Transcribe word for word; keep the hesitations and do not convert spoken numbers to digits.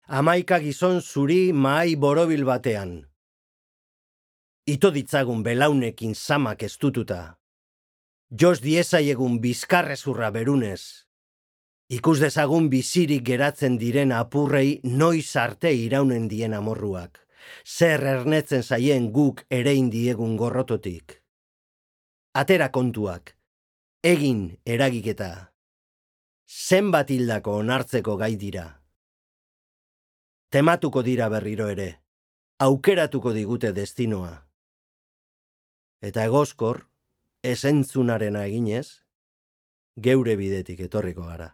Hamaika gizon zuri mahai borobil batean. Ito ditzagun belaunekin zamak estututa. Jos diezaiegun bizkarrezurra berunez. Ikus dezagun bizirik geratzen diren apurrei noiz arte iraunen dien amorruak. Zer ernetzen zaien guk erein diegun gorrototik. Atera kontuak. Egin eragiketa. Zenbat hildako onartzeko gai dira. Tematuko dira berriro ere. Aukeratuko digute destinoa. Eta egozkor, esentzunarena eginez, geure bidetik etorriko gara.